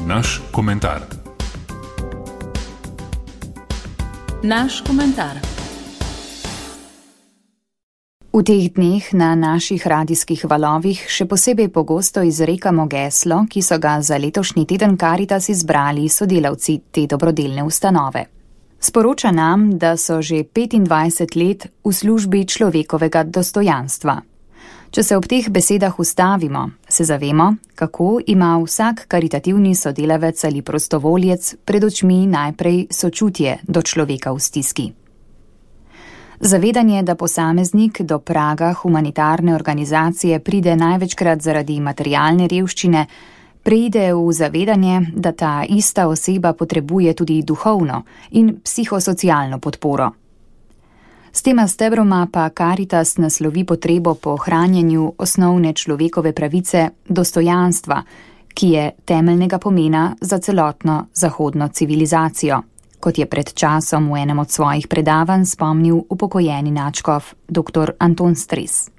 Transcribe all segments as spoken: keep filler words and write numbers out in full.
Naš komentar. Naš komentar. V teh dneh na naših radijskih valovih še posebej pogosto izrekamo geslo, ki so ga za letošnji teden Karitas izbrali sodelavci te dobrodelne ustanove. Sporoča nam, da so že petindvajset let v službi človekovega dostojanstva. Če se ob teh besedah ustavimo, se zavemo, kako ima vsak karitativni sodelavec ali prostovoljec pred očmi najprej sočutje do človeka v stiski. Zavedanje, da posameznik do praga humanitarne organizacije pride največkrat zaradi materialne revščine, preide v zavedanje, da ta ista oseba potrebuje tudi duhovno in psihosocialno podporo. S tema stebroma pa Karitas naslovi potrebo po ohranjanju osnovne človekove pravice dostojanstva, ki je temeljnega pomena za celotno zahodno civilizacijo, kot je pred časom v enem od svojih predavanj spomnil upokojeni nadškof dr. Anton Stres.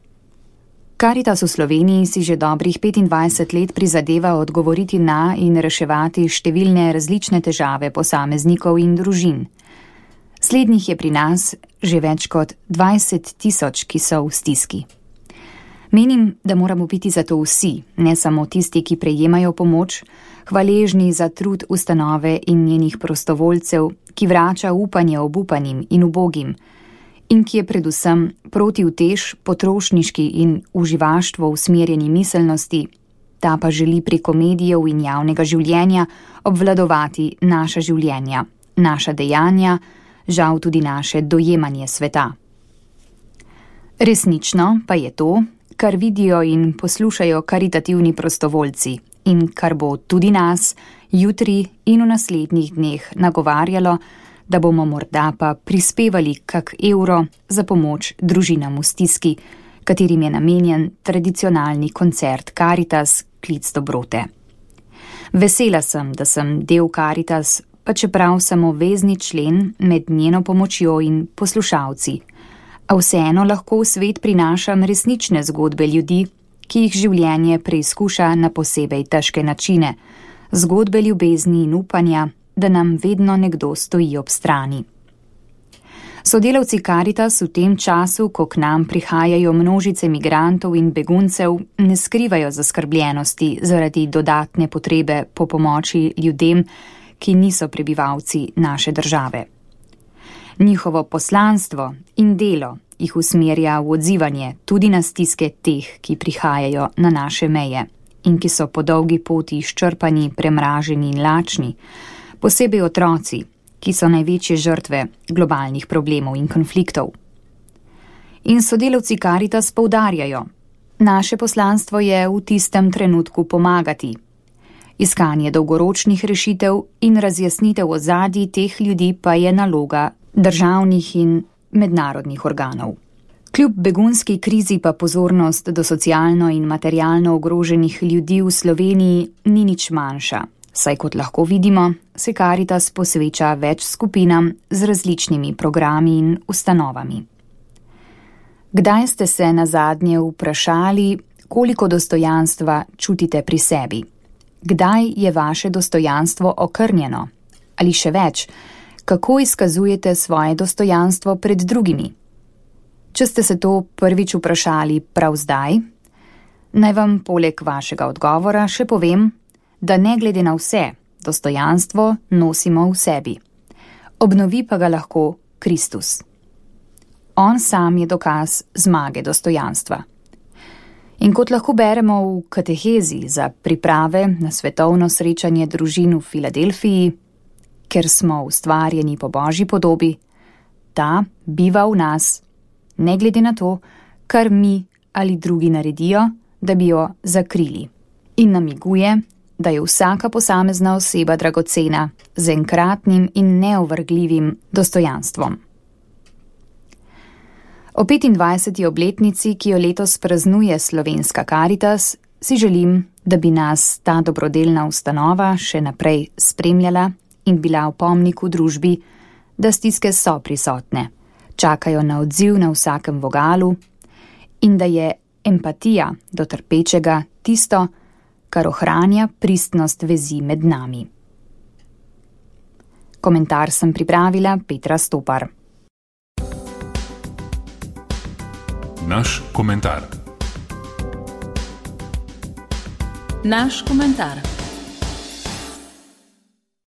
Karitas v Sloveniji si že dobrih petindvajset let prizadeva odgovoriti na in reševati številne različne težave posameznikov in družin. Slednjih je pri nas že več kot dvajset tisoč, ki so v stiski. Menim, da moramo biti zato vsi, ne samo tisti, ki prejemajo pomoč, hvaležni za trud ustanove in njenih prostovoljcev, ki vrača upanje obupanim in ubogim, in ki je predvsem protiutež potrošniški in uživaštvo usmerjeni miselnosti, ta pa želi preko medijev in javnega življenja obvladovati naša življenja, naša dejanja, žal tudi naše dojemanje sveta. Resnično pa je to, kar vidijo in poslušajo karitativni prostovoljci in kar bo tudi nas jutri in v naslednjih dneh nagovarjalo, da bomo morda pa prispevali kak evro za pomoč družinam v stiski, katerim je namenjen tradicionalni koncert Karitas Klic dobrote. Vesela sem, da sem del Karitas, pa čeprav sem obvezni člen med njeno pomočjo in poslušalci, a vseeno lahko v svet prinašam resnične zgodbe ljudi, ki jih življenje preizkuša na posebej težke načine, zgodbe ljubezni in upanja, da nam vedno nekdo stoji ob strani. Sodelavci Karitas v tem času, ko k nam prihajajo množice migrantov in beguncev, ne skrivajo zaskrbljenosti zaradi dodatne potrebe po pomoči ljudem, ki niso prebivalci naše države. Njihovo poslanstvo in delo jih usmerja v odzivanje tudi na stiske teh, ki prihajajo na naše meje in ki so po dolgi poti izčrpani, premraženi in lačni, posebej otroci, ki so največje žrtve globalnih problemov in konfliktov. In sodelavci Karitas poudarjajo, naše poslanstvo je v tistem trenutku pomagati. Iskanje dolgoročnih rešitev in razjasnitev ozadij teh ljudi pa je naloga državnih in mednarodnih organov. Kljub begunski krizi pa pozornost do socialno in materialno ogroženih ljudi v Sloveniji ni nič manjša, saj kot lahko vidimo, se Karitas posveča več skupinam z različnimi programi in ustanovami. Kdaj ste se nazadnje vprašali, koliko dostojanstva čutite pri sebi? Kdaj je vaše dostojanstvo okrnjeno? Ali še več, kako izkazujete svoje dostojanstvo pred drugimi? Če ste se to prvič vprašali prav zdaj, naj vam poleg vašega odgovora še povem, da ne glede na vse, dostojanstvo nosimo v sebi. Obnovi pa ga lahko Kristus. On sam je dokaz zmage dostojanstva. In kot lahko beremo v katehezi za priprave na svetovno srečanje družin v Filadelfiji, ker smo ustvarjeni po Božji podobi, ta biva v nas, ne glede na to, kar mi ali drugi naredijo, da bi jo zakrili. In namiguje, da je vsaka posamezna oseba dragocena z enkratnim in neovrgljivim dostojanstvom. O petindvajseti obletnici, ki jo letos praznuje slovenska Karitas, si želim, da bi nas ta dobrodelna ustanova še naprej spremljala in bila v pomniku družbi, da stiske so prisotne, čakajo na odziv na vsakem vogalu in da je empatija do trpečega tisto, kar ohranja pristnost vezi med nami. Komentar sem pripravila Petra Stopar. Naš komentar. Naš komentar.